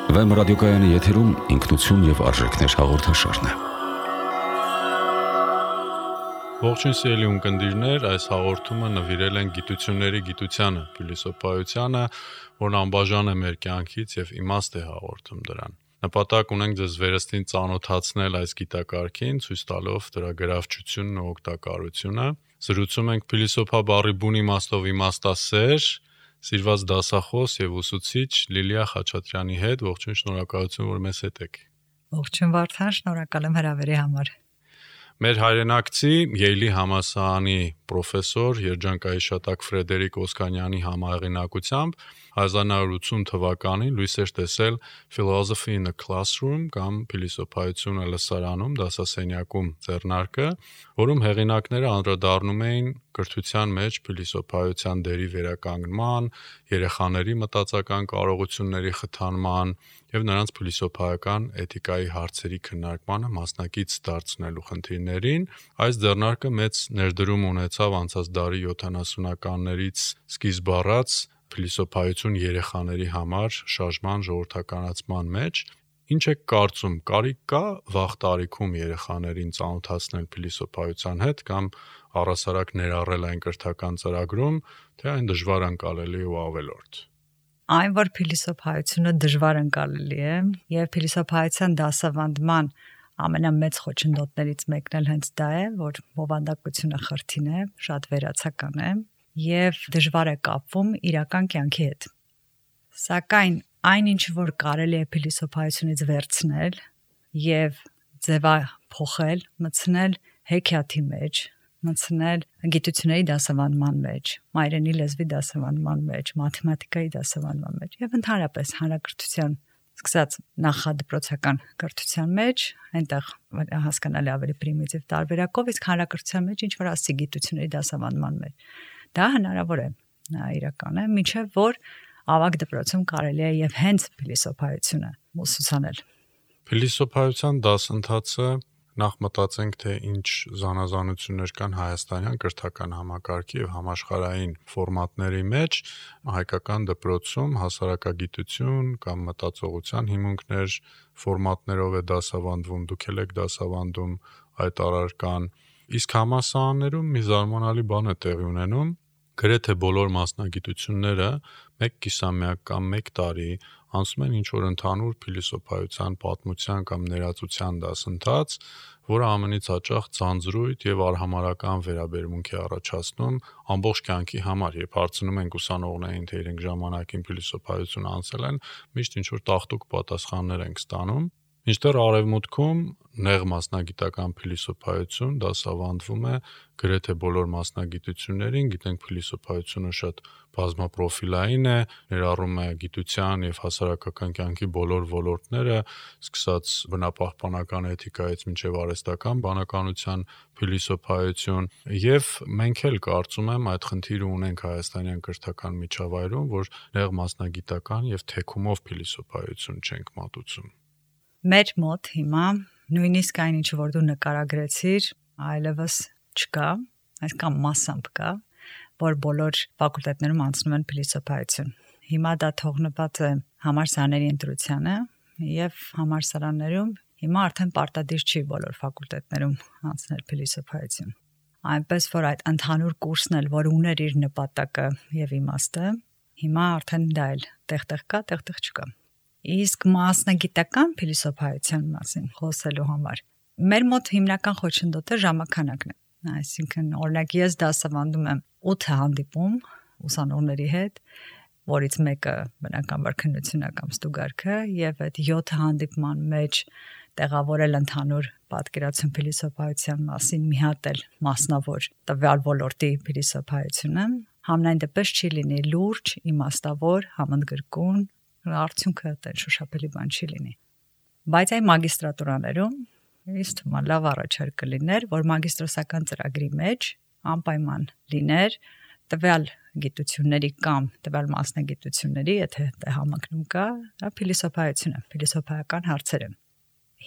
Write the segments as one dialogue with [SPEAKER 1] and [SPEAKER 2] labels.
[SPEAKER 1] Վեմ ռադիոկայանի եթերում ինքնություն և արժեքներ հաղորդաշարն է։
[SPEAKER 2] Ողջույն սիրելի ունկնդիրներ, այս հաղորդումը նվիրել են գիտությունների գիտությանը, փիլիսոփայությանը, որն անբաժան է մեր կյանքից և իմաստ է հաղորդում դրան։ Նպատակ ունենք ձեզ վերստին ծանոթացնել այս գիտակարգին, ցույց տալով դրա գրավչությունն ու օգտակարությունը։ Զրուցում ենք փիլիսոփա բառի բուն իմաստով իմաստասեր, սիրված դասախոս և ուսուցիչ Լիլիա Խաչատրյանի հետ։ Ողջույն, շնորհակալություն, որ մեզ հետ եք։
[SPEAKER 3] Ողջույն Վարդան, շնորհակալ եմ հրավերի համար։
[SPEAKER 2] Մեր հայրենակցի Յեյլի համալսարանի պրոֆեսոր երջանկահիշատակ Ֆրեդերիկ Օսկանյանի համահեղինակությամբ 1980 թվականին լույս էր տեսել Philosophy in a Classroom կամ Փիլիսոփայությունը լսարանում դասասենյակում ձեռնարկը, որում հեղինակները անդրադառնում էին կրթության մեջ փիլիսոփայության դերի վերականգնման, երեխաների մտածական կարողությունների խթանման և նրանց փիլիսոփայական էթիկայի հարցերի քննարկմանը մասնակից դարձնելու խնդիրներին։ Այս ձեռնարկը մեծ ներդրում ունեցավ անցած դարի 70-ականներից սկիզբ առած փիլիսոփայություն երեխաների համար շարժման ժողովրդականացման մեջ։ Ինչ եք կարծում, կարիք կա վաղ տարիքում երեխաներին ծանոթացնել փիլիսոփայության հետ կամ առհասարակ ներառել այն կրթական ծրագրում, թե այն դժվար ընկալելի ու ավելորդ։
[SPEAKER 3] Այն, որ փիլիսոփայությունը դժվար ընկալելի է եւ փիլիսոփայության դասավանդման ամենամեծ խոչընդոտներից մեկն էլ հենց դա է, որ բովանդակությունը խրթին է, շատ վերացական է եւ դժվար է կապվում իրական կյանքի հետ։ Սակայն այն ինչ որ կարելի է փիլիսոփայությունից վերցնել եւ ձևափոխել, մտցնել հեքիաթի մեջ, մտցնել գիտությունների դասավանդման մեջ, մայրենի լեզվի դասավանդման մեջ, մաթեմատիկայի դասավանդման մեջ եւ ընդհանրապես հանրակրթության սկսած նախադպրոցական կրթության մեջ, այնտեղ հասկանալի ավելի պրիմիտիվ տարբերակով, իսկ հանրակրթության մեջ ինչ որ ասի գիտությունների դասավանդման մեջ։ Դա հնարավոր է, իրական է, մինչև որ ավագ դպրոցում կարելի է եւ հենց փիլիսոփայությունը ուսուցանել։
[SPEAKER 2] Փիլիսոփայության դասընթացը նախ մտածենք, թե ինչ զանազանություններ կան հայաստանյան կրթական համակարգի եւ համաշխարհային ֆորմատների մեջ։ Հայկական դպրոցում հասարակագիտություն կամ մտածողության հիմունքներ ֆորմատներով է դասավանդվում, դուք եք դասավանդում այդ առարկան։ Իսկ համալսարաններում մի զարմանալի բան է տեղի ունենում, գրեթե բոլոր մասնագիտությունները 1 կիսամյակ կամ 1 տարի անցնում են ինչ-որ ընդհանուր փիլիսոփայության, պատմության կամ ներածության դասընթաց, որը ամենից հաճախ ձանձրույթ եւ արհամարհական վերաբերմունք է առաջացնում ամբողջ կյանքի համար։ Երբ հարցնում ենք ուսանողներին, թե իրենք ժամանակին փիլիսոփայություն անցել են, միշտ ինչ-որ տաղտուկ պատասխաններ ենք ստանում։ Մինչդեռ արևմուտքում նեղ մասնագիտական փիլիսոփայություն դասավանդվում է գրեթե բոլոր մասնագիտություններին, գիտենք փիլիսոփայությունը շատ բազմապրոֆիլային է, ներառում է գիտության եւ հասարակական կյանքի բոլոր ոլորտները, սկսած բնապահպանական էթիկայից մինչեւ արհեստական բանականության փիլիսոփայություն, եւ մենք էլ կարծում եմ այդ խնդիրը ունենք հայաստանյան կրթական միջավայրում, որ նեղ մասնագիտական եւ թեքումով փիլիսոփայություն չենք մատուցում։
[SPEAKER 3] Մեր մոտ հիմա նույնիսկ այն ինչ որ դու նկարագրեցիր, այլևս չկա, այսքան massամբ կա, որ բոլոր ֆակուլտետներում անցնում են փիլիսոփայություն։ Հիմա դա թողնված է համալսարանների ընտրությանը եւ համալսարաններում հիմա արդեն պարտադիր չի բոլոր ֆակուլտետներում անցնել փիլիսոփայություն։ Այնպես որ այդ ընդհանուր կուրսն էլ, որ ուներ իր նպատակը եւ իմաստը, հիմա արդեն դա էլ տեղ-տեղ կա, տեղ-տեղ չկա։ Իսկ մասնագիտական փիլիսոփայության մասին խոսելու համար մեր մոտ հիմնական խոչընդոտը ժամանակն է։ Այսինքն, օրինակ ես դասավանդում եմ 8 հանդիպում ուսանողների հետ, որից մեկը բնականաբար քննությունն կամ ստուգարքը, եւ այդ 7 հանդիպման մեջ տեղավորել ընդհանուր պատկերացում փիլիսոփայության մասին, մի հատ էլ մասնավոր տվյալ ոլորտի փիլիսոփայությունը, համենայն դեպս չի լինի լուրջ, իմաստավոր, համընդգրկուն, արդյունքը դա շոշափելի բան չի լինի։ Բայց այն մագիստրատուրաներում ինձ թվում է լավ առաջարկ կլիներ, որ մագիստրոսական ծրագրի մեջ անպայման լիներ տվյալ գիտությունների կամ տվյալ մասնագիտությունների, եթե դա համընկնում կա, դա փիլիսոփայությունը, փիլիսոփայական հարցերը։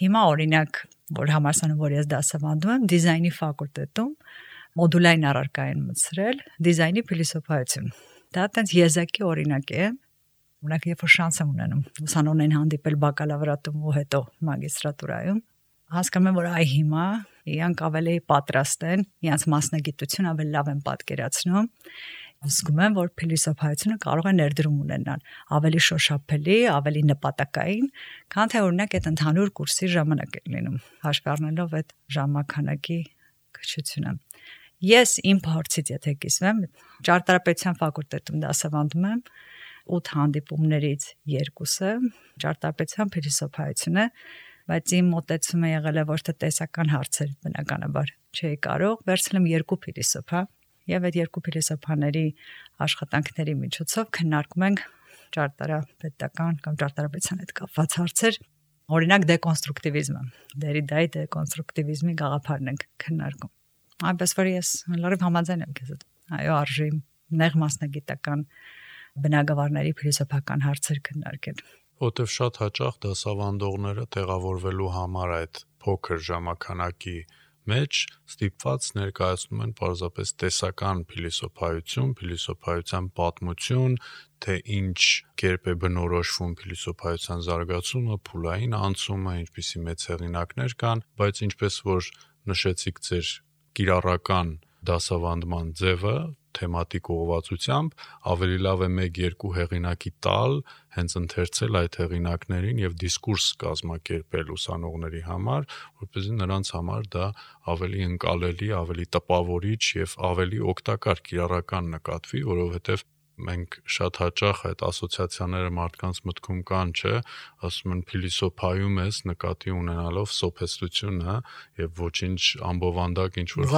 [SPEAKER 3] Հիմա օրինակ, որ համալսարանում որ ես դասավանդում եմ, դիզայնի ֆակուլտետում մոդուլային առարկա են մտցրել դիզայնի փիլիսոփայություն։ Դա այտենց եզակի օրինակ է, Ունակ երբ որ շանս եմ ունենում ուսանողներին հանդիպել բակալավրատում ու հետո մագիստրատուրայում, հասկանում եմ, որ այ հիմա իրանք ավելի պատրաստ են, իրանց մասնագիտությունը ավելի լավ են պատկերացնում։ Զգում եմ, որ փիլիսոփայությունը կարող է ներդրում ունենալ ավելի շոշափելի, ավելի նպատակային, քան թե օրինակ այդ ընդհանուր կուրսի ժամանակ է լինում, հաշվի առնելով այդ ժամանականակի քչությունը։ Ես իմ փորձից եթե կիսվեմ, ճարտարապետության ֆակուլտետում դասավանդում եմ 8 հանդիպումներից 2-ը ճարտարապետության փիլիսոփայություն է, բայց իմ մոտեցումը եղել է ոչ թե տեսական հարցեր, բնականաբար չէի կարող, վերցնեմ 2 փիլիսոփա եւ այդ 2 փիլիսոփաների աշխատանքների միջոցով քննարկում ենք ճարտարապետական կամ ճարտարապետության հետ կապված հարցեր, օրինակ դեկոնստրուկտիվիզմը, Դերիդայի դեկոնստրուկտիվիզմի գաղափարն ենք քննարկում։ Այնպես որ ես լրիվ համաձայն եմ քեզ հետ։ Այո, արժի նեղ մասնագիտական բնագավառների փիլիսոփական հարցեր քննարկել։
[SPEAKER 2] Որտեվ շատ հաճախ դասավանդողները տեղավորվելու համար այդ փոքր ժամանականակի մեջ ստիպված ներկայացնում են պարզապես տեսական փիլիսոփայություն, փիլիսոփայության պատմություն, թե ինչ կերպ է բնորոշվում փիլիսոփայության զարգացումը, փուլային անցումը, ինչպիսի մեծ հեղինակներ կան, բայց ինչպես որ նշեցիք ձեր կիրառական դասավանդման ձևը թեմատիկ ուղղվածությամբ ավելի լավ է 1-2 հեղինակի տալ, հենց ընթերցել այդ հեղինակներին եւ դիսկուրս կազմակերպել ուսանողների համար, որպեսզի նրանց համար դա ավելի ընկալելի, ավելի տպավորիչ եւ ավելի օգտակար կիրառական նկատվի, որովհետեւ մենք շատ հաճախ այդ ասոցիացիաները մարդկանց մտքում կան, չէ, ասում են փիլիսոփայում ես նկատի ունենալով սոփեստությունը եւ ոչինչ ամբովանդակ ինչ որ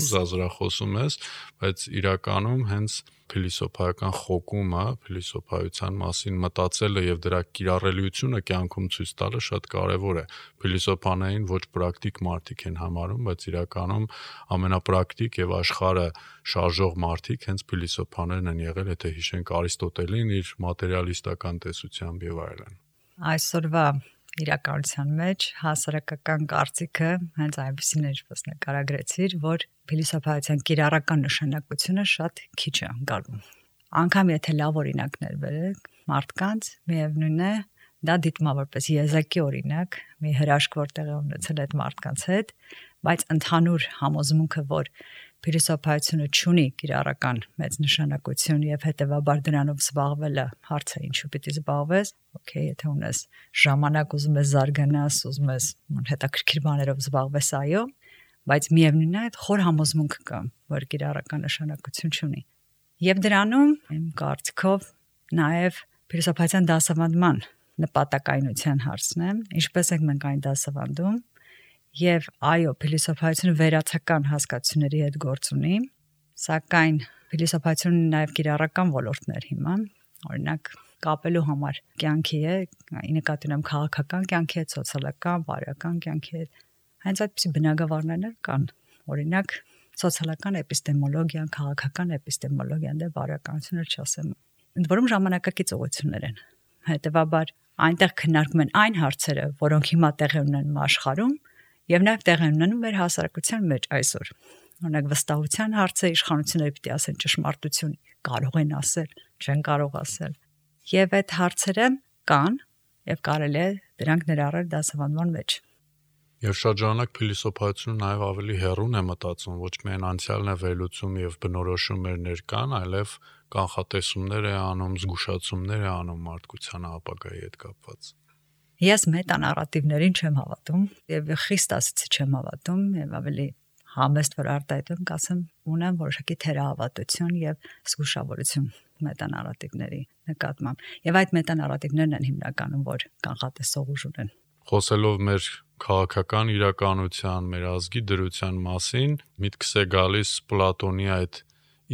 [SPEAKER 2] զազրախոսում ես, բայց իրականում հենց փիլիսոփայական խոկումը, փիլիսոփայության մասին մտածելը եւ դրա կիրառելիությունը կյանքում ցույց տալը շատ կարեւոր է։ Փիլիսոփաներին ոչ պրակտիկ մարդիկ են համարում, բայց իրականում ամենապրակտիկ եւ աշխարհը շարժող մարդիկ հենց փիլիսոփաներն են եղել, եթե հիշենք Արիստոտելին իր մատերիալիստական տեսությամբ եւ այլն։
[SPEAKER 3] Այսօրվա իրականության մեջ հասարակական կարծիքը հենց այնպեսին է, ինչպես նկարագրեցիր, որ փիլիսոփայության կիրառական նշանակությունը շատ քիչ է ընկալվում։ Անկամ եթե լավ օրինակներ բերեք մարդկանց, միևնույն է, դա դիտվում է որպես եզակի օրինակ, մի հրաշք որտեղ է ունեցել այդ մարդկանց հետ, բայց ընդհանուր համոզմունքը, որ փիլիսոփայությունը ունի կիրառական մեծ նշանակություն եւ հետեւաբար դրանով զբաղվելը հարց է ինչու պիտի զբաղվես, օքեյ, եթե ունես ժամանակ ուզում ես զարգանաս, ուզում ես հետաքրքիր բաներով զբաղվես, այո, բայց միևնույնն է այդ խոր համոզմունքը կա, որ կիրառական նշանակություն ունի։ Եվ դրանում իմ կարծիքով նաեւ փիլիսոփայության դասավանդման նպատակայնության հարցն է, ինչպես ենք մենք այն դասավանդում։ Եվ այո, փիլիսոփայությունը վերացական հասկացությունների հետ գործ ունի, սակայն փիլիսոփայությունը նաև կիրառական ոլորտներ հիմա, օրինակ կապելու համար կյանքի է, ի նկատի ունեմ քաղաքական կյանքի հետ, սոցիալական, բարոյական կյանքի հետ, հենց այդպիսի բնագավառներ կան, օրինակ սոցիալական էպիստեմոլոգիան, քաղաքական էպիստեմոլոգիան, դե բարոյականությունը չասեմ, ընդ որում ժամանակակից ուղղություններ են, հետևաբար այնտեղ քննարկում են այն հարցերը, որոնք հիմա տեղի ունեն աշխարհում, եւ նաեւ տեղ են ունենում մեր հասարակության մեջ այսօր։ Օրինակ վստահության հարցը իշխանությունները պիտի ասեն ճշմարտություն, կարող են ասել, չեն կարող ասել։ Եվ այդ հարցերը կան եւ կարելի է դրանք ներառել դասավանդման մեջ։
[SPEAKER 2] Եվ շատ ժամանակ փիլիսոփայությունը նաեւ ավելի հեռուն է մտածում, ոչ միայն անցյալն է վերլուծում եւ բնորոշում մեր ներկան, այլև կանխատեսումներ է անում, զգուշացումներ է անում մարդկության ապագայի հետ կապված։
[SPEAKER 3] Ես մետանարատիվներին չեմ հավատում եւ խիստ ասեցի չեմ հավատում եւ ավելի համեստ որ արտահայտում կասեմ ունեմ որոշակի թերահավատություն եւ զգուշավորություն մետանարատիվների նկատմամբ եւ այդ մետանարատիվներն են հիմնականում որ կանխատեսող ուժ ունեն։
[SPEAKER 2] Խոսելով մեր քաղաքական իրականության, մեր ազգի դրության մասին, միտքս է գալիս Պլատոնի այդ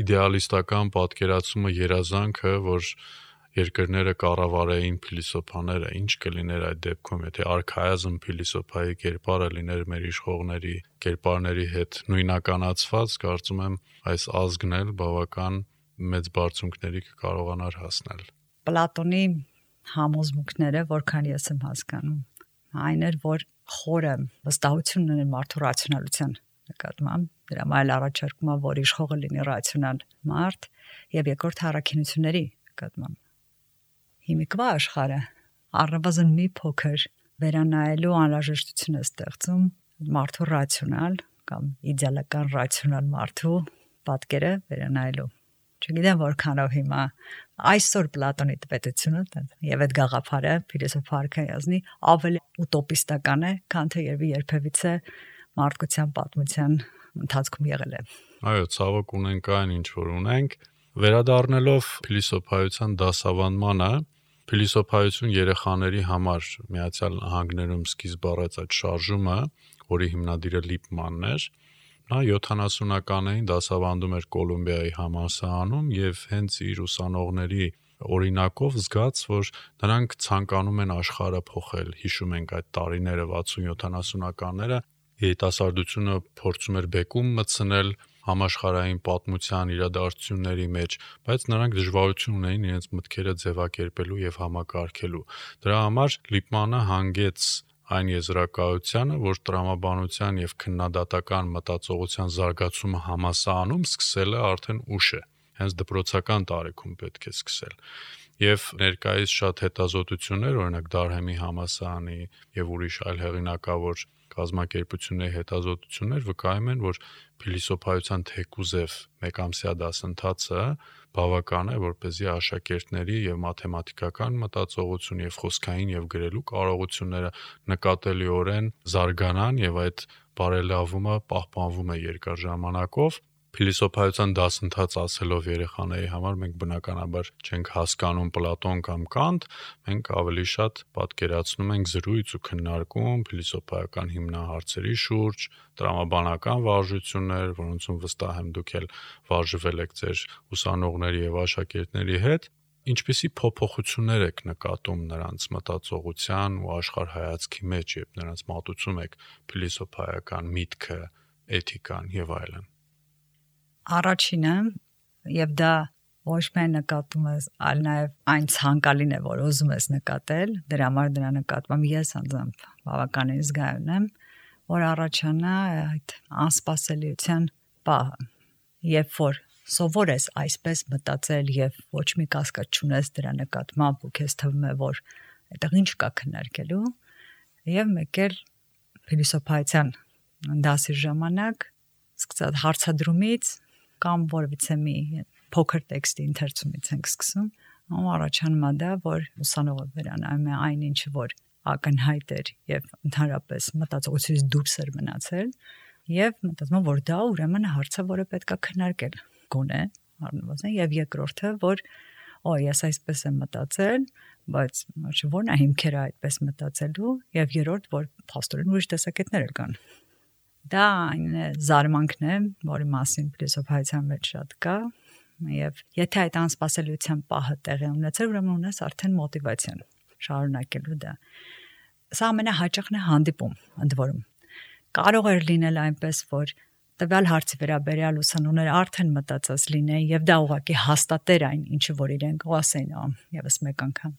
[SPEAKER 2] իդեալիստական պատկերացումը երազանքը, որ երկրները կառավարեին փիլիսոփաները, ինչ կլիներ այդ դեպքում, եթե արքայազն փիլիսոփայի կերպարը լիներ մեր իշխողների կերպարների հետ նույնականացված, կարծում եմ այս ազգն էլ բավական մեծ բարձունքների կկարողանար հասնել։
[SPEAKER 3] Պլատոնի համոզմունքները, որքան ես եմ հասկանում, այն էր, որ խորը վստահություն ուներ մարդու ռացիոնալության նկատմամբ, դրա այլ առաջարկում է, որ իշխողը լինի ռացիոնալ մարդ, եւ երկրորդ առաքինությունների նկատմամբ։ հիմիկվա աշխարհը առնվազն մի փոքր վերանայելու անհրաժեշտություն է ստեղծում մարդու ռացիոնալ կամ իդեալական ռացիոնալ մարդու պատկերը վերանայելու։ Չգիտեմ որքանով հիմա այսօր Պլատոնի տպետությունը եւ այդ գաղափարը ֆիլոսոֆար կայազնի ավելի ուտոպիստական է, քան թե երբևիցե մարդկության պատմության ընթացքում եղել է։
[SPEAKER 2] Այո, ցավոք ունենք այն ինչ որ ունենք, վերադառնալով փիլիսոփայության դասավանդմանը, փիլիսոփայություն երեխաների համար Միացյալ Նահանգներում սկիզբ առած այդ շարժումը, որի հիմնադիրը Լիպմանն էր, նա 70-ականներին դասավանդում էր Կոլումբիայի համալսարանում եւ հենց իր ուսանողների օրինակով զգաց, որ նրանք ցանկանում են աշխարհը փոխել։ Հիշում ենք այդ տարիները 60-70-ականները, երիտասարդությունը փորձում էր բեկում մտցնել համաշխարհային պատմության իրադարձությունների մեջ, բայց նրանք դժվարություն ունեին իրենց մտքերը ձևակերպելու եւ համակարգելու։ Դրա համար Լիպմանը հանգեց այն եզրակացությանը, որ տրամաբանության եւ քննադատական մտածողության զարգացումը համալսարանում սկսել է արդեն ուշ է, հենց դպրոցական տարիքում պետք է սկսել։ Եվ ներկայիս շատ հետազոտություններ, օրինակ Դարհեմի համալսարանի եւ ուրիշ այլ հեղինակավոր կազմակերպությունների հետազոտություններ վկայում են, որ փիլիսոփայության թեկուզև մեկամսյա դասընթացը բավական է, որպեսզի աշակերտների եւ մաթեմատիկական մտածողություն եւ խոսքային եւ գրելու կարողությունները նկատելիորեն զարգանան եւ այդ բարելավումը պահպանվում է երկար ժամանակով։ Փիլիսոփայության դասընթաց ասելով երեխաների համար մենք բնականաբար չենք հասկանում Պլատոն կամ Կանտ, մենք ավելի շատ պատկերացնում ենք զրույց ու քննարկում փիլիսոփայական հիմնահարցերի շուրջ, տրամաբանական վարժություններ, որոնցում վստահ եմ դուք էլ վարժվել եք ձեր ուսանողների եւ աշակերտների հետ, ինչպիսի փոփոխություններ եք նկատում նրանց մտածողության ու աշխարհայացքի մեջ, երբ նրանց մատուցում եք փիլիսոփայական միտքը, էթիկան եւ այլն։
[SPEAKER 3] Առաջինը եւ դա ոչ միայն նկատում ես, այլ նաեւ այն ցանկալին է, որ ուզում ես նկատել, դրա համար դրա նկատմամբ ես անձամբ բավականին զգայուն եմ, որ առաջանա այդ անսպասելիության պահը, երբ որ սովոր ես այսպես մտածել եւ ոչ մի կասկած չունես դրա նկատմամբ ու քեզ թվում է, որ այդտեղ ինչ կա քննարկելու, եւ մեկ էլ փիլիսոփայության դասի ժամանակ սկսած հարցադրումից կամ որևիցե մի փոքր տեքստի ընթերցումից ենք սկսում, առաջանում է դա, որ ուսանողը վերանայում է այն ինչը որ ակնհայտ էր եւ ընդհանրապես մտածողությունից դուրս էր մնացել եւ մտածում որ դա ուրեմն հարցը, որը պետքա քննարկել գոնե առնվազն եւ երկրորդը որ ես այսպես եմ մտածել, բայց որն է հիմքերը այդպես մտածելու եւ երրորդ որ փաստորեն ուրիշ տեսակետներ կան։ Դա այն զարմանքն է, որի մասին փիլիսոփայության մեջ շատ կա եւ եթե այդ անսպասելիության պահը տեղի ունեցել, ուրեմն ունես արդեն մոտիվացիան շարունակելու դա։ Սա ամենահաճախն է հանդիպում, ընդ որում։ Կարող է լինել այնպես, որ տվյալ հարցի վերաբերյալ ուսանողները արդեն մտածած լինեն եւ դա ուղղակի հաստատեր այն, ինչը որ իրենք ասեն եւս մեկ անգամ։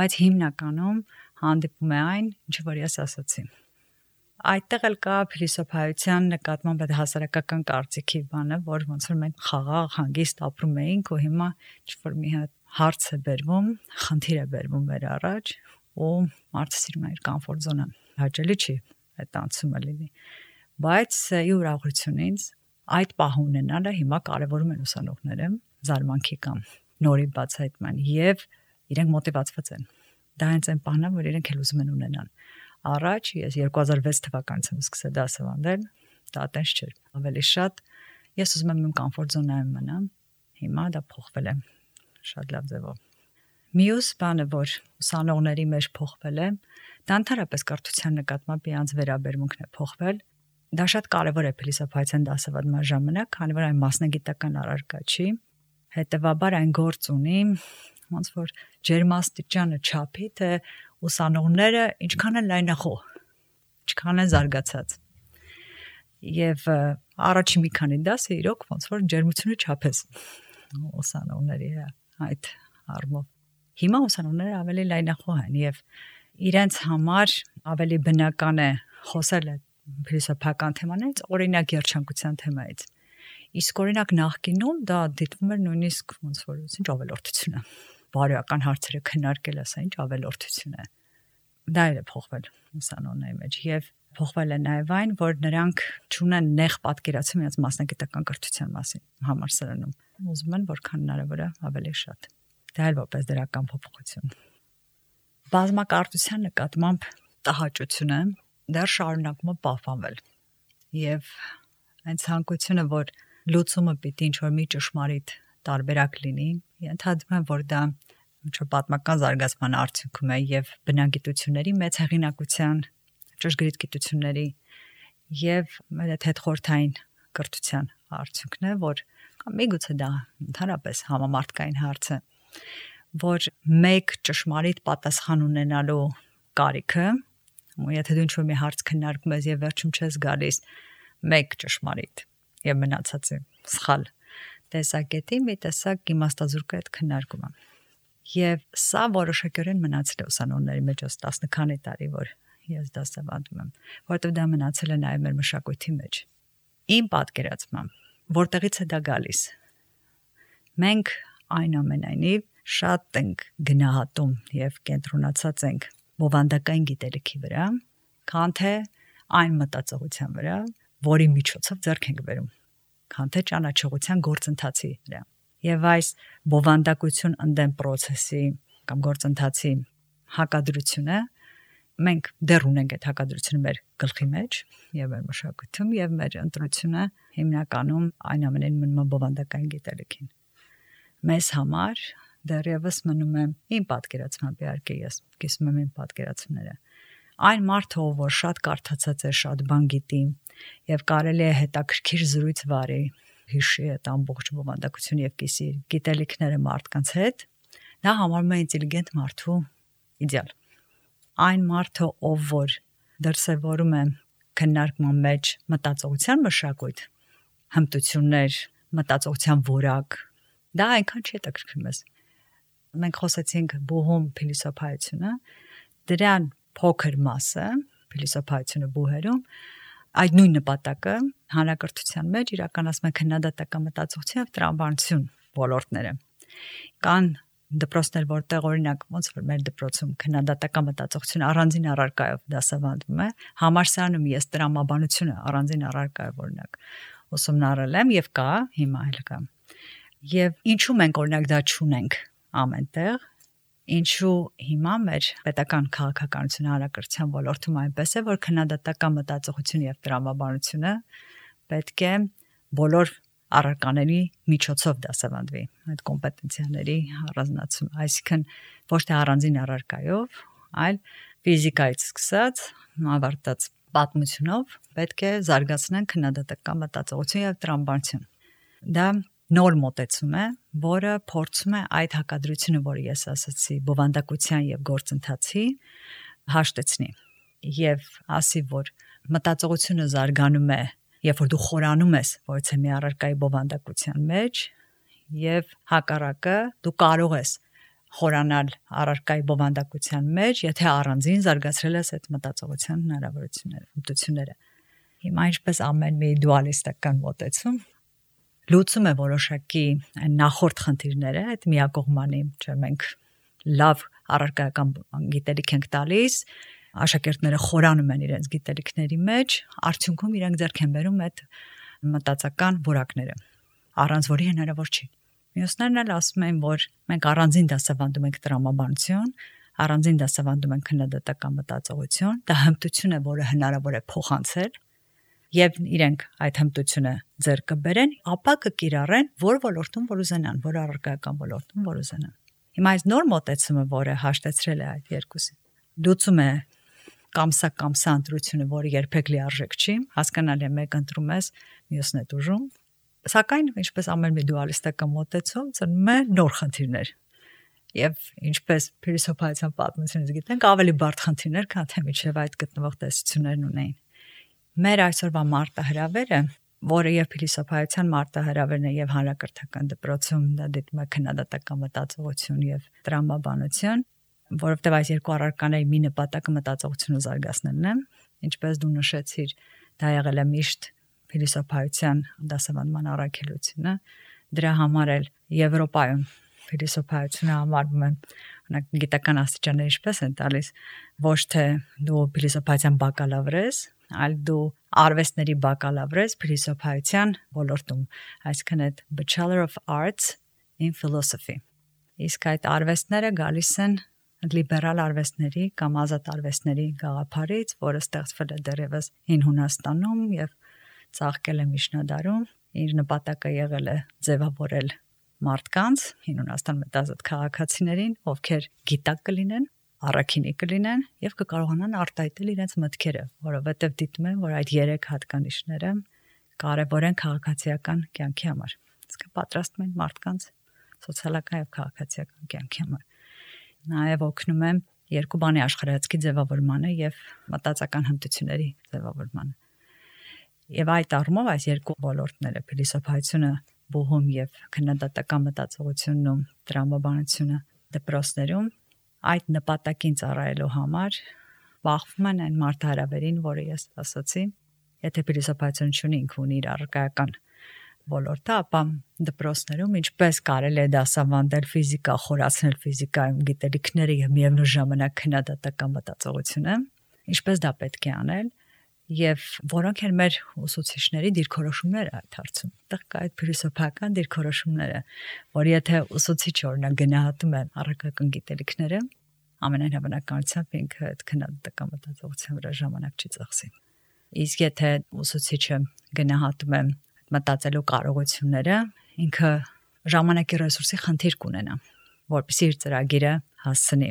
[SPEAKER 3] Բայց հիմնականում հանդիպում է այն, ինչը որ ես ասացի։ Այդտեղ էլ կա փիլիսոփայության նկատմամբ այդ հասարակական կարծիքի բանը, որ ոնց որ մենք խաղաղ հանգիստ ապրում էինք ու հիմա ինչ-որ մի հատ հարց է բերվում, խնդիր է բերվում մեր առաջ ու մարդը սիրում է իր կոմֆորտ զոնան։ Հաճելի չի այդ անցումը լինի։ Բայց ի ուրախությունից այդ պահը ունենալը հիմա կարևորում են ուսանողները զարմանքի կամ նորի բացահայտման եւ իրենք մոտիվացված են։ Դա հենց այն պահն է, որ իրենք էլ ուզում են ունենան։ Առաջ ես 2006 թվականից եմ սկսել դասավանդել, դա այդպես չէր։ Ավելի շատ ես ուզում եմ իմ կոմֆորտ զոնայում մնամ, հիմա դա փոխվել է շատ լավ ձևով։ Մյուս բանը, որ ուսանողների մեջ փոխվել է, դա ընդհանրապես կրթության նկատմամբ իրանց վերաբերմունքն է փոխվել։ Դա շատ կարևոր է փիլիսոփայության դասավանդման ժամանակ, քանի որ այն մասնագիտական առարկա չի, հետեւաբար այն գործ ունի ոնց որ ջերմաստիճանը չափի, թե ուսանողները ինչքան են լայնախոհ, ինչքան են զարգացած։ Եվ առաջին մի քանի դասը իրոք ոնց որ ջերմությունը չափես ուսանողների այդ առումով։ Հիմա ուսանողները ավելի լայնախոհ են եւ իրենց համար ավելի բնական է խոսել փիլիսոփայական թեմաներից, օրինակ երջանկության թեմայից։ Իսկ օրինակ նախկինում դա դիտվում էր նույնիսկ ոնց որ ինչ ավելորդություն է։ բարոյական հարցերը քննարկել ես, ինչ ավելորդություն է։ Դա էլ է փոխվել ուսանողների մեջ եւ փոխվել է նաեւ այն, որ նրանք չունեն նեղ պատկերացում իրենց մասնագիտական կրթության մասին համալսարանում։ Ուզում են որքան հնարավոր է ավելի շատ։ Դա էլ որպես դրական փոփոխություն։ Բազմակարծության նկատմամբ տհաճությունը դեռ շարունակում է պահպանվել եւ այն ցանկությունը, որ լուծումը պիտի ինչ-որ մի ճշմարիտ տարբերակ լինի, ենթադրում եմ, որ դա ինչ-որ պատմական զարգացման արդյունքում է եւ բնագիտությունների մեծ հեղինակության, ճշգրիտ գիտությունների եւ այդ հետխորթային կրթության արդյունքն է, որ կամ միգուցե դա ընդհանրապես համամարտկային հարց է, որ մեկ ճշմարիտ պատասխան ունենալու կարիքը, ու եթե դու ինչ-որ մի հարց քննարկում ես եւ վերջում չես գալիս մեկ ճշմարիտ եւ մնացածը սխալ տեսակետի մի տեսակ իմաստազուրկ է այդ քննարկումը։ Եվ սա որոշակիորեն մնացել է ուսանողների մեջ 10 քանի տարի, որ ես դասավանդում եմ, որովհետև դա մնացել է նաև մեր մշակույթի մեջ։ Իմ պատկերացմամբ, որտեղից է դա գալիս։ Մենք այնուամենայնիվ շատ ենք գնահատում եւ կենտրոնացած ենք բովանդակային գիտելիքի վրա, քան թե այն մտածողության վրա, որի միջոցով ձեռք ենք բերում, քան թե ճանաչողության գործընթացի վրա։ Եվ այս բովանդակություն ընդդեմ process-ի կամ գործընթացի հակադրությունը մենք դեռ ունենք այդ հակադրությունը մեր գլխի մեջ եւ մեր մշակույթում եւ մեր ընտրությունը հիմնականում այն ամենին մնում է բովանդակային գիտելիքին։ Մեզ համար դեռևս մնում է իմ պատկերացմամբ, իհարկե ես կիսում եմ իմ պատկերացումները, այն մարդը, որ շատ կարդացած է, շատ բան գիտի եւ կարելի է հետաքրքիր զրույց վարի, հիշի այդ ամբողջ բովանդակությունը եւ կիսի գիտելիքները մարդկանց հետ, դա համարվում է ինտելիգենտ մարդու իդեալ։ Այն մարդը, ով որ դրսևորում է քննարկման մեջ մտածողության մշակույթ, հմտություններ, մտածողության որակ, դա այնքան չի հետաքրքրում ես։ Մենք խոսեցինք բուհում փիլիսոփայությունը, դրան փոքր մասը փիլիսոփայությունը բուհերում այդ նույն նպատակը հանրակրթության մեջ իրականացում է քննադատական մտածողություն եւ տրամաբանություն ոլորտները։ Կան դպրոցներ, որտեղ օրինակ ոնց որ մեր դպրոցում քննադատական մտածողություն առանձին առարկայով դասավանդվում է, համալսարանում ես տրամաբանությունը առանձին առարկայով օրինակ ուսումնառել եմ եւ կա, հիմա էլ կա։ Եվ ինչու մենք օրինակ դա չունենք ամենտեղ, ինչու հիմա մեր պետական քաղաքականությունը հանրակրթության ոլորտում այնպես է, որ քննադատական մտածողություն եւ տրամաբանությունը պետք է բոլոր առարկաների միջոցով դասավանդվի, այդ կոմպետենցիաների առանձնացում, այսինքն ոչ թե առանձին առարկայով, այլ ֆիզիկայից սկսած ավարտած պատմությունով պետք է զարգացնեն քննադատական մտածողություն եւ տրամաբանություն։ Դա նոր մոտեցում է, որը փորձում է այդ հակադրությունը, որը ես ասացի, բովանդակության եւ գործընթացի հաշտեցնի եւ ասի, որ մտածողությունը զարգանում է, երբ որ դու խորանում ես որից է մի առարկայի բովանդակության մեջ եւ հակառակը դու կարող ես խորանալ առարկայի բովանդակության մեջ, եթե առանձին զարգացրել ես այդ մտածողության հնարավորությունները, հմտությունները։ Հիմա ինչպես ամեն մի դուալիստական մոտեցում լուծում է որոշակի նախորդ խնդիրները, այդ միակողմանի, չէ, մենք լավ առարկայական գիտելիք ենք տալիս, աշակերտները խորանում են իրենց գիտելիքների մեջ, արդյունքում իրենք ձեռք են բերում այդ մտածական որակները, առանց որի հնարավոր չի։ Մյուսներն էլ ասում են, որ մենք առանձին դասավանդում ենք տրամաբանություն, առանձին դասավանդում ենք քննադատական մտածողություն, դա հմտություն է, որը հնարավոր է փոխանցել, եւ իրենք այդ հմտությունը ձեռք կբերեն, ապա կկիրառեն որ ոլորտում որ ուզենան, որ առարկայական ոլորտում որ ուզենան։ Հիմա այս նոր մոտեցումը, որը հաշտեցրել է այդ երկուսին, լուծում է կամսա ընտրությունը, որը երբեք լիարժեք չի, հասկանալի է մեկ ընտրում ես, մյուսն է դժում, սակայն ինչպես ամեն մի դուալիստական մոտեցում ծնում է նոր խնդիրներ։ Եվ ինչպես փիլիսոփայության պատմությունից գիտենք, ավելի բարդ խնդիրներ, քան թե միջև այդ գտնվող տեսություններն ունեին։ Մեր այսօրվա մարտահրավերը, որը եւ փիլիսոփայության մարտահրավերն է եւ հանրակրթական դպրոցում դա դիտում է քննադատական մտածողություն եւ տրամաբանություն, որովհետեւ այս երկու առարկաների մի նպատակը մտածողությունը զարգացնելն է, ինչպես դու նշեցիր, դա եղել է միշտ փիլիսոփայության դասավանդման առաքելությունը, դրա համար էլ Եվրոպայում Փիլիսոփայությունը համարվում է գիտական աստիճաններ ինչպես են տալիս, ոչ թե դու փիլիսոփայության բակալավր ես, այլ դու արվեստների բակալավր ես փիլիսոփայության ոլորտում, այսինքն այդ Bachelor of Arts in Philosophy։ Իսկ այդ արվեստները գալիս են լիբերալ արվեստների կամ ազատ արվեստների գաղափարից, որը ստեղծվել է դեռևս հին Հունաստանում եւ ծաղկել է միջնադարում, իր նպատակը եղել է ձևավորել մարդկանց, հին Հունաստան մտազատ քաղաքացիներին, ովքեր գիտակ կլինեն, առաքինի կլինեն եւ կկարողանան արտահայտել իրենց մտքերը, որովհետեւ դիտում են, որ այդ 3 հատկանիշները կարեւոր են քաղաքացիական կյանքի համար։ Իսկ պատրաստում են մարդկանց սոցիալական եւ քաղաքացիական կյանքի համար։ Նաև օգնում եմ երկու բանի աշխարհայացքի ձևավորմանը եւ մտածական հմտությունների ձևավորմանը։ Եվ այդ առումով այս երկու ոլորտները՝ փիլիսոփայությունը, բուհում եւ քննադատական մտածողությունն ու տրամաբանությունը դպրոցներում այդ նպատակին ծառայելու համար բախվում են այն մարդահրավերին, որը ես ասացի, եթե փիլիսոփայությունը ունի ինքը ունի իր առարկայական ոլորտը, ապա դպրոցներում ինչպես կարելի է դասավանդել ֆիզիկա, խորացնել ֆիզիկայում գիտելիքները եւ միևնույն ժամանակ քննադատական մտածողությունը, ինչպես դա պետք է անել եւ որոնք են մեր ուսուցիչների դիրքորոշումները այդ հարցում։ Այդտեղ կա այդ փիլիսոփայական դիրքորոշումները, որ եթե ուսուցիչը օրինակ գնահատում է առարկայական գիտելիքները, ամենայն հավանականությամբ ինքը այդ քննադատական մտածողության վրա ժամանակ չի ծախսի։ Իսկ եթե ուսուցիչը գնահատում է մտածելու կարողությունները, ինքը ժամանակի ռեսուրսի խնդիր կունենա, որպեսզի իր ծրագիրը հասցնի,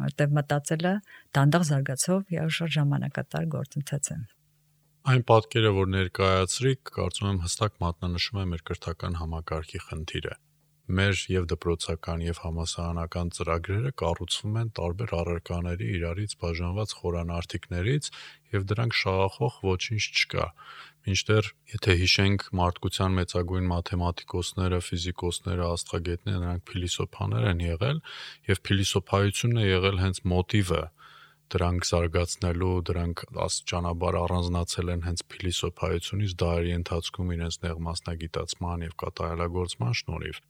[SPEAKER 3] որտեղ մտածելը դանդաղ զարգացող եւ շատ ժամանակատար գործընթաց է։
[SPEAKER 2] Այն պատկերը, որ ներկայացրիք, կարծում եմ հստակ մատնանշում է մեր կրթական համակարգի խնդիրը։ Մեր եւ դպրոցական եւ համալսարանական ծրագրերը կառուցվում են տարբեր առարկաների իրարից բաժանված խորանարդիկներից եւ դրանք շահախող ոչինչ չկա։ Մինչդեռ, եթե հիշենք մարդկության մեծագույն մաթեմատիկոսները, ֆիզիկոսները, աստղագետները, նրանք փիլիսոփաներ են եղել եւ փիլիսոփայությունն է եղել հենց մոտիվը դրանք զարգացնելու, դրանք աստիճանաբար առանձնացել են հենց փիլիսոփայությունից դարերի ընթացքում իրենց նեղ մասնագիտացման եւ կատարելագործման շնորհիվ։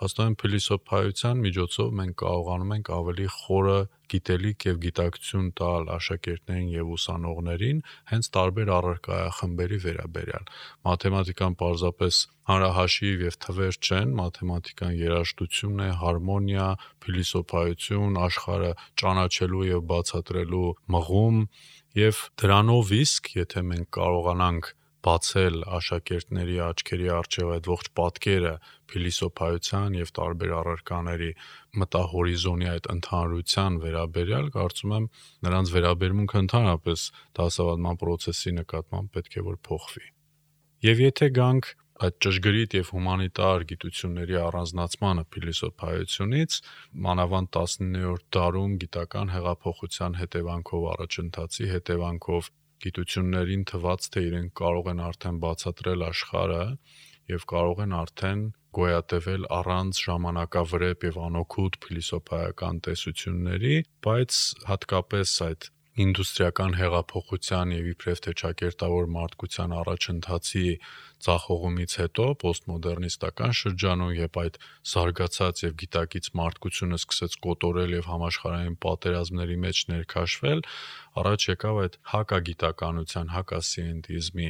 [SPEAKER 2] Հաստատ փիլիսոփայության միջոցով մենք կարողանում ենք ավելի խորը գիտելիք եւ գիտակցություն տալ աշակերտներին եւ ուսանողներին հենց տարբեր առարկայախմբերի վերաբերյալ։ Մաթեմատիկան պարզապես հանրահաշիվ եւ թվեր չեն, մաթեմատիկան երաժշտություն է, հարմոնիա, փիլիսոփայություն, աշխարհը ճանաչելու եւ բացատրելու մղում եւ դրանով իսկ, եթե մենք կարողանանք բացել աշակերտների աչքերի առջև այդ ողջ պատկերը փիլիսոփայության եւ տարբեր առարկաների մտահորիզոնի այդ ընդհանրության վերաբերյալ, կարծում եմ նրանց վերաբերմունքը ընդհանրապես դասավանդման process-ի նկատմամբ պետք է որ փոխվի։ Եվ եթե գանք այդ ճշգրիտ եւ հումանիտար գիտությունների առանձնացմանը փիլիսոփայությունից, մանավանդ 19-րդ դարում գիտական հեղափոխության հետևանքով առաջընթացի հետևանքով գիտություններին թված, թե իրենք կարող են արդեն բացատրել աշխարհը եւ կարող են արդեն գոյատևել առանց ժամանակավրեպ եւ անօգուտ փիլիսոփայական տեսությունների, բայց հատկապես այդ ինդուստրիական հեղափոխության եւ իբրև թե ճակերտավոր մարդկության առաջընթացի ցախողումից հետո պոստմոդեռնիստական շրջանում, երբ այդ զարգացած եւ գիտակից մարդկությունը սկսեց կոտորել եւ համաշխարհային պատերազմների մեջ ներքաշվել, առաջ եկավ այդ հակագիտականության, հակասիենտիզմի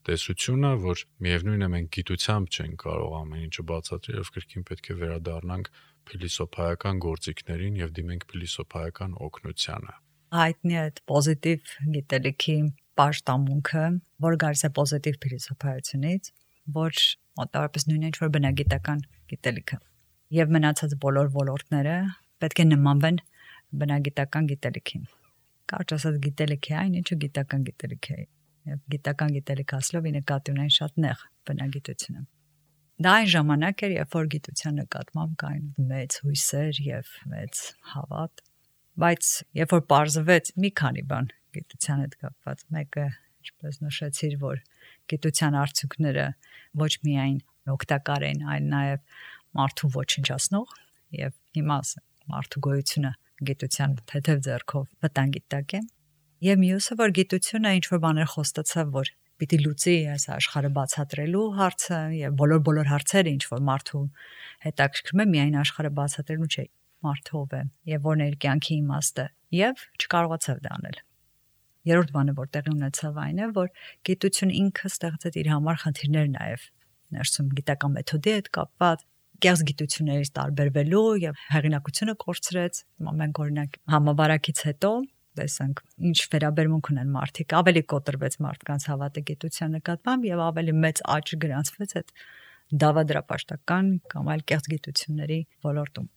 [SPEAKER 2] տեսությունը, որ միևնույն է մենք գիտությամբ չենք կարող ամեն ինչը բացատրել եւ կրկին պետք է վերադառնանք փիլիսոփայական գործիքներին եւ դիմենք փիլիսոփայական օգնությանը։
[SPEAKER 3] Հայտնի է այդ պոզիտիվ գիտելիքի պաշտամունքը, որ գալիս է պոզիտիվ փիլիսոփայությունից, որ մոտավորապես նույնն է ինչ որ բնագիտական գիտելիքը։ Եվ մնացած բոլոր ոլորտները պետք է նմանվեն բնագիտական գիտելիքին։ Կարճ ասած գիտելիք է այն, ինչը գիտական գիտելիք է։ Եվ գիտական գիտելիք ասելով ի նկատի ունեն շատ նեղ բնագիտությունը։ Դա այն ժամանակ էր, երբ որ գիտության նկատմամբ կային մեծ հույսեր եւ մեծ հավատ, բայց երբ որ պարզվեց մի քանի բան գիտության հետ կապված, մեկը, ինչպես նշեցիր, որ գիտության արդյունքները ոչ միայն օգտակար են, այլ նաեւ մարդու ոչնչացնող եւ հիմա մարդու գոյությունը գիտության թեթև ձեռքով վտանգի տակ է։ Եվ մյուսը, որ գիտությունը ինչ որ բաներ խոստացավ, որ պիտի լուծի այս աշխարհը բացատրելու հարցը եւ բոլոր հարցերը, ինչ որ մարդու հետաքրքրում է, միայն աշխարհը բացատրելու չէ, մարդը ով է եւ որն է իր կյանքի իմաստը, եւ չկարողացավ դա անել։ Երրորդ բանը, որ տեղի ունեցավ, այն է, որ գիտությունը ինքը ստեղծեց իր համար խնդիրներ նաեւ ներսում գիտական մեթոդի հետ կապված, կեղծ գիտություններից տարբերվելու եւ հեղինակությունը կորցրեց։ Մենք օրինակ համավարակից հետո տեսանք ինչ վերաբերմունք ունեն մարդիկ, ավելի կոտրվեց մարդկանց հավատը գիտության նկատմամբ եւ ավելի մեծ աճ գրանցվեց այդ դավադրապաշտական կամ այլ կեղծ գիտությունների ոլորտում։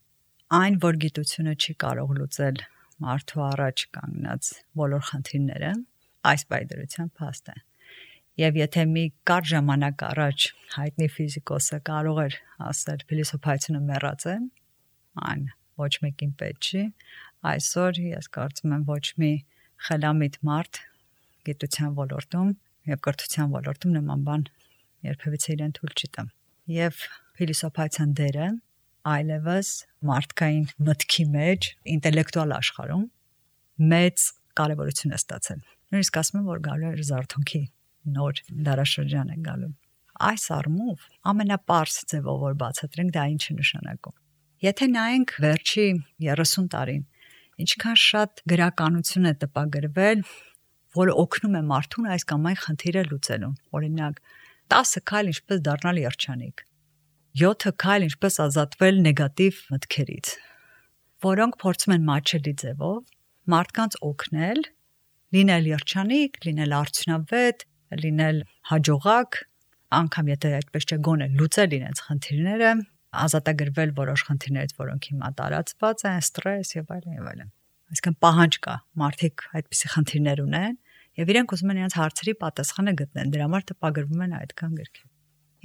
[SPEAKER 3] Այն, որ գիտությունը չի կարող լուծել մարդու առաջ կանգնած բոլոր խնդիրները, այս պայդրության փաստ է։ Եվ եթե մի կարճ ժամանակ առաջ հայտնի ֆիզիկոսը կարող էր ասել փիլիսոփայությունը մեռած է, այն ոչ մեկին պետք չի, այսօր ես կարծում եմ ոչ մի խելամիտ մարդ գիտության ոլորտում եւ կրթության ոլորտում նման բան երբևիցե իրեն թույլ չի տա։ Եվ փիլիսոփայության դերը այլևս մարդկային մտքի մեջ, ինտելեկտուալ աշխարհում մեծ կարևորություն է ստացել։ Նույնիսկ ասում եմ, որ գալու է զարթոնքի նոր դարաշրջան է գալու։ Այս առումով ամենապարզ ձևով որ բացատրենք դա ինչ է նշանակում։ Եթե նայենք վերջի 30 տարին, ինչքան շատ գրականություն է տպագրվել, որը օգնում է մարդուն այս կամ այն խնդիրը լուծելու։ Օրինակ, 10 քայլ ինչպես դառնալ երջանիկ, 7 քայլ ինչպես ազատվել նեգատիվ մտքերից, որոնք փորձում են մատչելի ձևով մարդկանց օգնել լինել երջանիկ, լինել արդյունավետ, լինել հաջողակ, անգամ եթե այդպես չէ գոնե լուծել իրենց խնդիրները, ազատագրվել որոշ խնդիրներից, որոնք հիմա տարածված են, ստրես եւ այլն եւ այլն։ Այսինքն պահանջ կա, մարդիկ այդպիսի խնդիրներ ունեն եւ իրենք ուզում են իրենց հարցերի պատասխանը գտնեն, դրա համար տպագրվում են այդքան գրքեր։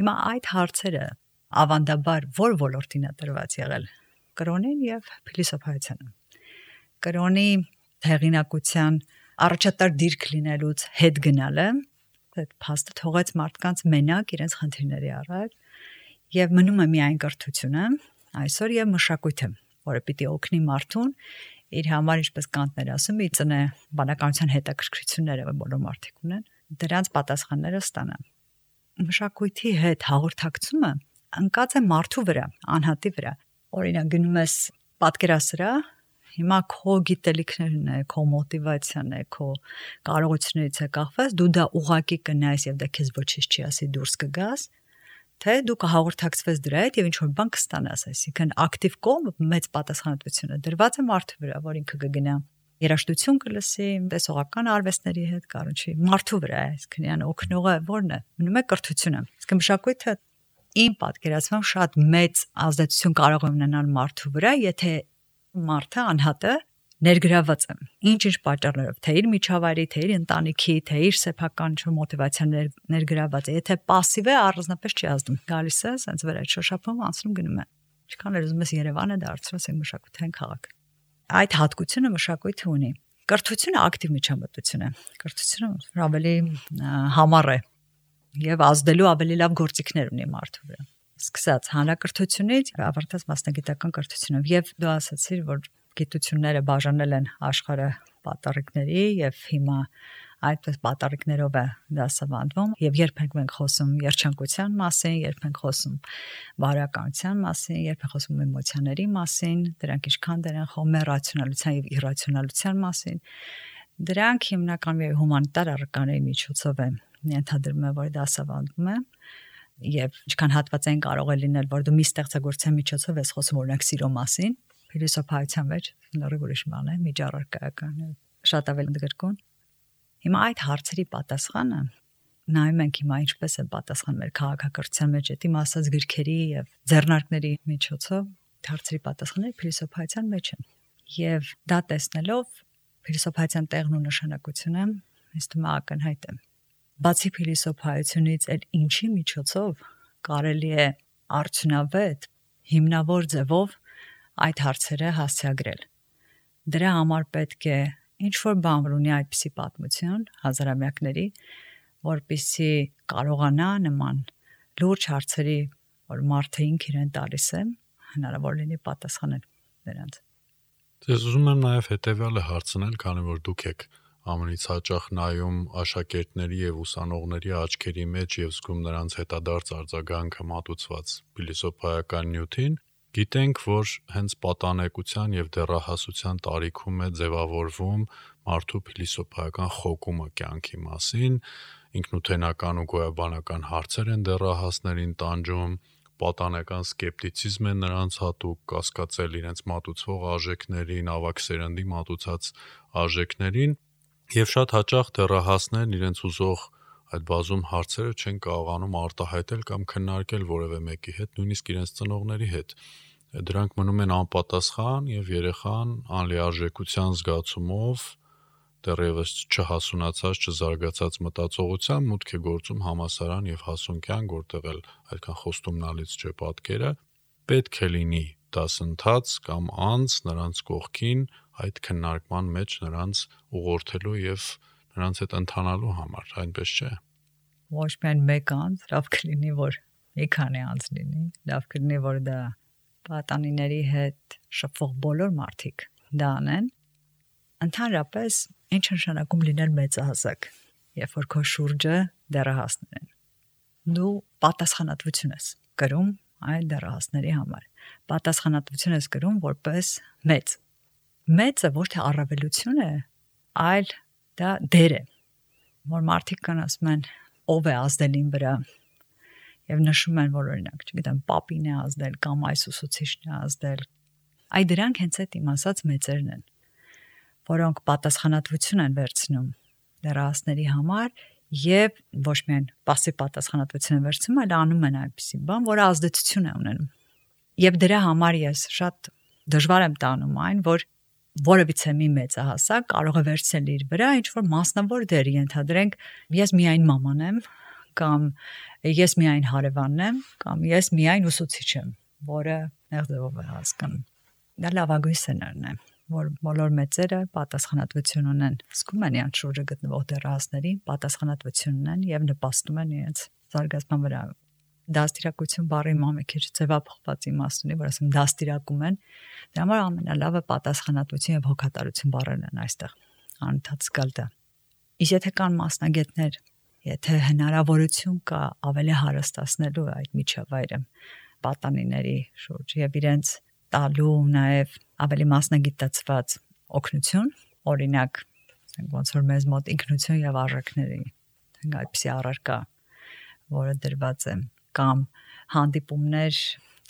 [SPEAKER 3] Հիմա այդ հարցերը ավանդաբար որ ոլորտին է տրված եղել, կրոնին եւ փիլիսոփայությանը։ Կրոնի հեղինակության առաջատար դիրք լինելուց հետ գնալը այդ փաստը թողեց մարդկանց մենակ իրենց խնդիրների առաջ եւ մնում է միայն կրթությունը այսօր եւ մշակույթը, որը պիտի օգնի մարդուն իր համար, ինչպես Կանտն էր ասում, իծնե բանականության հետաքրքրությունները, որ բոլոր մարդիկ ունեն, դրանց պատասխանները ստանան։ Մշակույթի հետ հաղորդակցումը ընկած է մարդու վրա, անհատի վրա։ Օրինակ գնում ես պատկերասրահ, հիմա քո գիտելիքներն է, քո մոտիվացիան է, քո կարողություններից է կախված, դու դա ուղակի կնայես եւ դա քեզ ոչինչ չի ասի դուրս կգաս, թե դու կհաղորդակցվես դրա հետ եւ ինչ որ բան կստանաս, այսինքն ակտիվ կողմը մեծ պատասխանատվությունը դրված է մարդու վրա, որ ինքը կգնա երաժշտություն կլսի, տեսողական արվեստների հետ կառնչի մարդու վրա, այսինքն յան օգնողը ո՞րն է, մնում է կրթությունը։ Իսկ մշակույթը իմ պատկերացմամբ շատ մեծ ազդեցություն կարող է ունենալ մարդու վրա, եթե մարդը անհատը ներգրաված է ինչ պատճառներով, թե իր միջավայրի, թե իր ընտանիքի, թե իր սեփական մոտիվացիան ներգրաված է, եթե пассив է, առանձնապես չի ազդում։ Գալիս է, ասենց վրա շոշափում անցնում գնում է։ Ինչքան էլ ուզում ես Երևանը դարձրած է մշակութային քաղաք։ Այդ հատկությունը մշակույթը ունի։ Կրթությունը ակտիվ միջամտություն է։ Կրթությունը ավելի համառ է եւ ազդելու ավելի լավ գործիքներ ունի մարդու վրա։ Սկսած հանրակրթությունից ավարտած մասնագիտական կրթությունով եւ դու ասացիր, որ գիտությունները բաժանել են աշխարհը պատառիկների եւ հիմա այդպես պատառիկներով է դասավանդվում եւ երբ ենք խոսում երջանկության մասին, երբ ենք խոսում բարոյականության մասին, երբ ենք խոսում էմոցիաների մասին, դրանք ինչքան դեր են խոմե ռացիոնալության եւ իրացիոնալության մասին, դրանք հիմնականում հումանիտար առարկաների միջոցով են ենթադրվում է, որ դասավանդվում է եւ ինչքան հատվածային կարող է լինել, որ դու մի ստեղծագործության միջոցով ես խոսում օրինակ սիրո մասին, փիլիսոփայության մեջ նորից ուրիշ բան է, միջառարկայական, շատ ավելի ընդգրկուն։ Հիմա այդ հարցերի պատասխանը նայում ենք հիմա ինչպես է պատասխան մեր քաղաքակրթության մեջ այդ իմ ասած գրքերի եւ ձեռնարկների միջոցով հարցերի պատասխանները փիլիսոփայության մեջ են։ Եվ դա տեսնելով փիլիսոփայության տեղն ու նշանակությունը ինձ թվում է ակնհայտ է։ Բացի փիլիսոփայությունից էլ ինչի միջոցով կարելի է արդյունավետ հիմնավոր ձևով այդ հարցերը հասցեագրել։ Դրա համար պետք է ինչ-որ բան ունի այդպիսի պատմություն հազարամյակների, որպեսզի կարողանա նման լուրջ հարցերի, որ մարդը ինքը իրեն տալիս է, հնարավոր լինի պատասխանել դրանց։
[SPEAKER 2] Ես ուզում եմ նաև հետևյալը հարցնել, քանի որ դուք եք ամենից հաճախ նայում աշակերտների եւ ուսանողների աչքերի մեջ եւ զգում նրանց հետադարձ արձագանքը մատուցված փիլիսոփայական նյութին, գիտենք, որ հենց պատանեկության եւ դեռահասության տարիքում է ձևավորվում մարդու փիլիսոփայական խոկումը կյանքի մասին, ինքնութենական ու գոյաբանական հարցեր են դեռահասներին տանջում, պատանեկան սկեպտիցիզմ է նրանց հատուկ, կասկածել իրենց մատուցվող արժեքներին, ավագ սերնդի մատուցած արժեքներին, եւ շատ հաճախ դեռահասներն իրենց ուզող այդ բազում հարցերը չեն կարողանում արտահայտել կամ քննարկել որևէ մեկի հետ, նույնիսկ իրենց ծնողների հետ։ Դրանք մնում են անպատասխան եւ երեխան անլիարժեքության զգացումով դեռևս չհասունացած, չզարգացած մտածողության մուտք է գործում համալսարան եւ հասունքյան, որտեղ էլ այդքան խոստումնալից չէ պատկերը, պետք է լինի դասընթաց կամ անձ նրանց կողքին այդ քննարկման մեջ նրանց ուղղորդելու եւ նրանց հետ ընթանալու համար, այնպես չէ։
[SPEAKER 3] Ոչ միայն մեկ անձ, լավ կլինի, որ մի քանի անձ լինի, լավ կլինի, որ դա պատանիների հետ շփվող բոլոր մարդիկ դա անեն։ Ընդհանրապես, ինչ նշանակում լինել մեծահասակ, երբ որ քո շուրջը դեռահասներ են։ Դու պատասխանատվություն ես կրում այդ դեռահասների համար։ Պատասխանատվություն ես կրում որպես մեծ։ Մեծը ոչ թե առավելություն է, այլ դա դեր է, որ մարդիկ կան ասում են ով է ազդել իմ վրա եւ նշում են, որ օրինակ, չգիտեմ, պապին է ազդել կամ այս ուսուցիչն է ազդել։ Այ դրանք հենց այդ իմ ասած մեծերն են, որոնք պատասխանատվություն են վերցնում դեռահասների համար եւ ոչ միայն պասիվ պատասխանատվություն են վերցնում, այլ անում են այնպիսի բան, որը ազդեցություն է ունենում։ Եվ դրա համար ես շատ դժվար եմ տանում այն, որ որևիցե մի մեծահասակ կարող է վերցնել իր վրա ինչ-որ մասնավոր դեր, ենթադրենք, ես միայն մաման եմ, կամ ես միայն հարևանն եմ, կամ ես միայն ուսուցիչ եմ, որը ձևով է հասկանում։ Դա լավագույն սցենարն է, որ բոլոր մեծերը պատասխանատվություն ունեն, զգում են իրենց շուրջը գտնվող դեռահասներին, պատասխանատվություն ունեն եւ նպաստում են իրենց զարգացման վրա։ Դաստիարակություն բառի մի քիչ ձևափոխված իմաստ ունի, որ ասում դաստիարակում են, դրա համար ամենալավը պատասխանատվություն եւ հոգատարություն բառերն են այստեղ անընդհատ զգալ դա։ Իսկ եթե կան մասնագետներ, եթե հնարավորություն կա ավելի հարստացնելու այդ միջավայրը պատանիների շուրջ եւ իրենց տալու նաեւ ավելի մասնագիտացված օգնություն, օրինակ, ասենք ոնց որ մեզ մոտ ինքնություն եւ արժեքների, այդպիսի առարկա, որը դրված է, կամ հանդիպումներ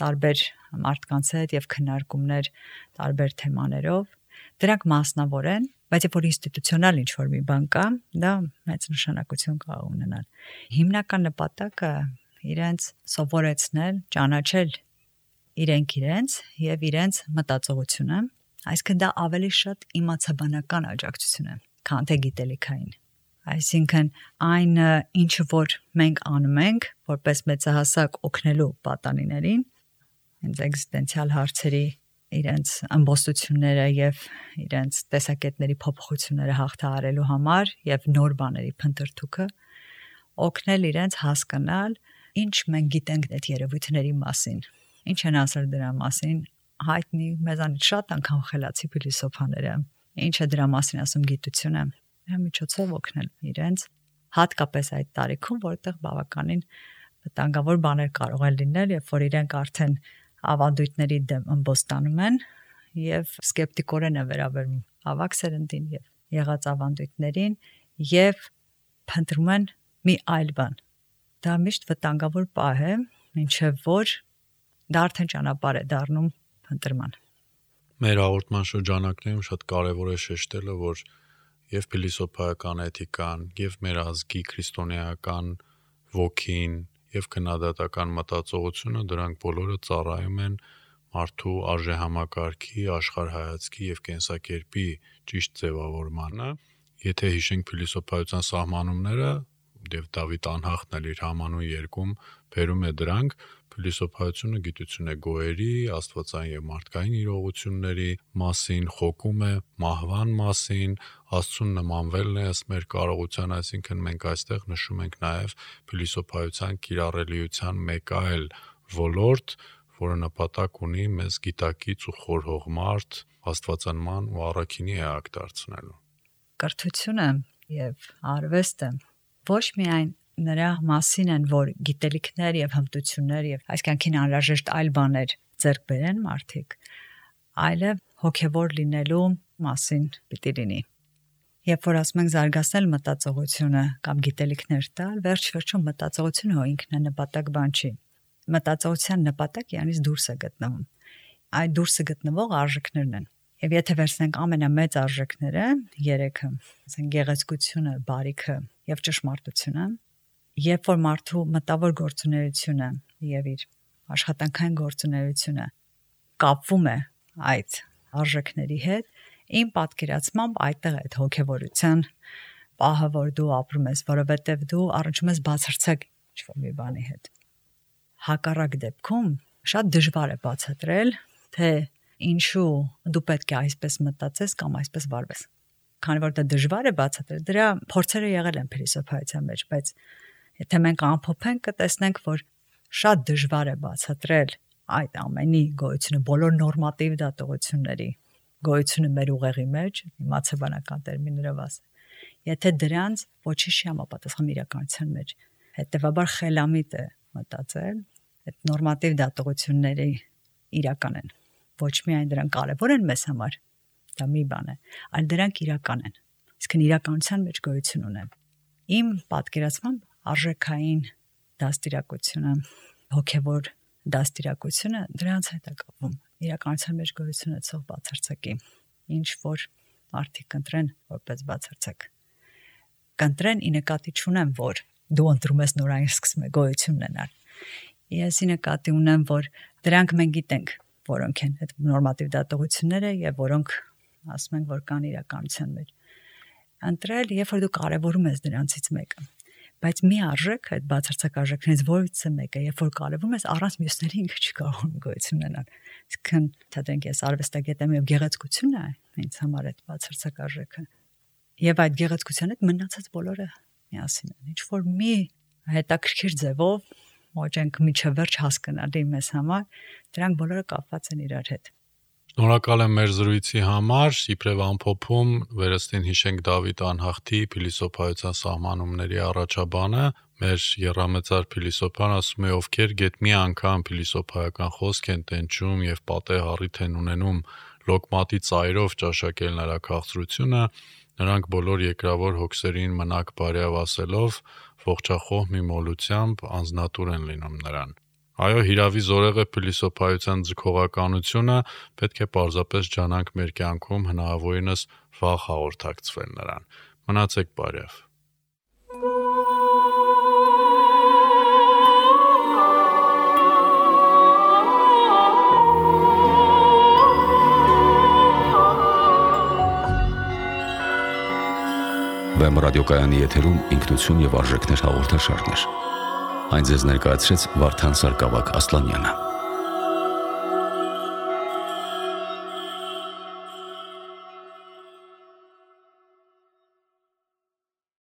[SPEAKER 3] տարբեր մարդկանց հետ եւ քննարկումներ տարբեր թեմաներով, դրանք մասնավոր են, բայց երբ որ ինստիտուցիոնալ ինչ-որ մի բան կա, դա մեծ նշանակություն կարող ունենալ։ Հիմնական նպատակը իրենց սովորեցնել, ճանաչել իրենց եւ իրենց մտածողությունը, այսինքն դա ավելի շատ իմացաբանական աջակցություն է, քան թե գիտելիքային։ Այսինքն այն ինչը որ մենք անում ենք, որպես մեծահասակ օգնելու պատանիներին, հենց էգզիստենցիալ հարցերի իրենց ամբողջությունները եւ իրենց տեսակետների փոփոխությունները հաղթահարելու համար եւ նոր բաների փնտրտուքը օգնել իրենց հասկանալ ինչ մենք գիտենք այդ երևույթների մասին, ինչ են ասել դրա մասին հայտնի մեզանից շատ անգամ խելացի փիլիսոփաները, ինչը դրա մասին ասում գիտությունը, դրա միջոցով օգնել իրենց հատկապես այդ տարիքում, որտեղ բավականին վտանգավոր բաներ կարող են լինել, երբ որ իրենք արդեն ավանդույթների դեմ ըմբոստանում են եւ սկեպտիկորեն է վերաբերվում ավակ սերնդին եւ եղած ավանդույթներին եւ փնտրում են մի այլ բան։ Դա միշտ վտանգավոր պահ է, ինչեւ որ դա արդեն ճանապարհ է դառնում փնտրման։
[SPEAKER 2] Մեր հաղորդման շրջանակներում շատ կարեւոր է շեշտելը, որ եւ փիլիսոփայական էթիկան, եւ մեր ազգի քրիստոնեական ոգին, եւ քննադատական մտածողությունը դրանք բոլորը ծառայում են մարդու արժեհամակարգի, աշխարհայացքի եւ կենսակերպի ճիշտ ձևավորմանը։ Եթե հիշենք փիլիսոփայության սահմանումները, եւ Դավիթ Անհախտն էլ իր համանուն երկում բերում է դրանք, փիլիսոփայությունը գիտություն է գոհերի, աստվածային եւ մարդկային իրողությունների մասին, խոկում է մահվան մասին, Աստծուն նմանվելն է ըստ մեր կարողության, այսինքն մենք այստեղ նշում ենք նաեւ փիլիսոփայության կիրառելիության մեկ այլ ոլորտ, որը նպատակ ունի մեզ գիտակից ու խորհող մարդ աստվածանման ու առաքինի էակ դարձնելու։
[SPEAKER 3] կրթությունը եւ արվեստը ոչ միայն նրա մասին են, որ գիտելիքներ եւ հմտություններ եւ այս կյանքին անհրաժեշտ այլ բաներ ձեռք բերեն մարդիկ, այլև հոգեվոր լինելու մասին պիտի լինի։ Երբ որ ասում ենք զարգացնել մտածողությունը կամ գիտելիքներ տալ, վերջ-վերջում մտածողությունը հո ինքն է նպատակ բան չի։ Մտածողության նպատակը յանից դուրս է գտնվում։ Այդ դուրսը գտնվող արժեքներն են։ Եվ եթե վերցնենք ամենամեծ արժեքները, երեքը, ասենք գեղեցկությունը, բարիքը եւ ճշմարտությունը, երբ որ մարդու մտավոր գործունեությունը եւ իր աշխատանքային գործունեությունը կապվում է այդ արժեքների հետ, իմ պատկերացմամբ այդտեղ է հոգեվորության պահը, որ դու ապրում ես, որովհետեւ դու առնչում ես բացարձակ ինչ-որ մի բանի հետ։ Հակառակ դեպքում շատ դժվար է բացատրել, թե ինչու դու պետք է այսպես մտածես կամ այսպես վարվես։ Քանի որ դա դժվար է բացատրել, դրա փորձերը եղել են փիլիսոփայության մեջ, բայց եթե մենք ամփոփենք, կտեսնենք, որ շատ դժվար է բացատրել այդ ամենի գոյությունը, բոլոր նորմատիվ դատողությունների գոյությունը մեր ուղեղի մեջ, իմացաբանական տերմիններով ասեմ, եթե դրանց ոչինչ չի համապատասխանում իրականության մեջ, հետեւաբար խելամիտ է մտածել, այդ նորմատիվ դատողությունների իրական են։ Ոչ միայն դրանք կարևոր են մեզ համար, դա մի բան է, այլ դրանք իրական են։ Իսկ իրականության մեջ գոյություն ունեն։ Իմ պատկերացմամբ արժեքային դաստիարակությունը, հոգևոր դաստիարակությունը դրանց հետ է կապվում։ Իրականության մեջ գոյություն ունեցող բացարձակի, ինչ որ մարդիկ կընտրեն որպես բացարձակ։ Կընտրեն ի նկատի չունեմ, որ դու ընտրում ես նորային սկսում է գոյություն ունենալ։ Ես ի նկատի ունեմ, որ դրանք մենք գիտենք, որոնք են այդ նորմատիվ դատողությունները եւ որոնք ասում են, որ կան իրականության մեջ։ Ընտրել, երբ որ դու կարևորում ես դրանցից մեկը, բայց մի արժեք, այդ բացարձակ արժեքներից որից է մեկը, երբ որ կարևորում ես, առանց մյուսների ինքը չի կարող գոյություն ունենալ։ Իսկն թեթենք ես արվեստագետ եմ եւ գեղեցկությունն է ինձ համար այդ բացարձակ արժեքը։ Եվ այդ գեղեցկության հետ մնացած բոլորը միասին են։ Ինչ որ մի հետաքրքիր ձևով ոչենք միջև վերջ հասկանալի մեզ համար, դրանք բոլորը կապված են իրար հետ։
[SPEAKER 2] Շնորհակալ եմ մեր զրույցի համար, իբրև ամփոփում վերստին հիշենք Դավիթ Անհախտի փիլիսոփայության սահմանումների առաջաբանը, մեր եռամեծար փիլիսոփան ասում է, ովքեր գեթ մի անգամ փիլիսոփայական խոսք են տենչում եւ պատեհ առիթ են ունենում լոկմատի ծայրով ճաշակել նրա քաղցրությունը, նրանք բոլոր երկրավոր հոգսերին մնաք բարյավ ասելով, ողջախոհ մի մոլությամբ անznատուր են լինում նրան։ Այո, հիրավի զորեղը փիլիսոփայության ձգողականությունը պետք է պարզապես ջանանք մեր կյանքում հնարավորինս վաղ հաղորդակցվել նրան։ Մնացեք բարյավ։
[SPEAKER 1] Վեմ ռադիոկայանի եթերում ինքնություն եւ արժեքներ հաղորդաշարներ։ Այն ձեզ ներկայացրեց Վարդան Սարգսակ Ասլանյանը։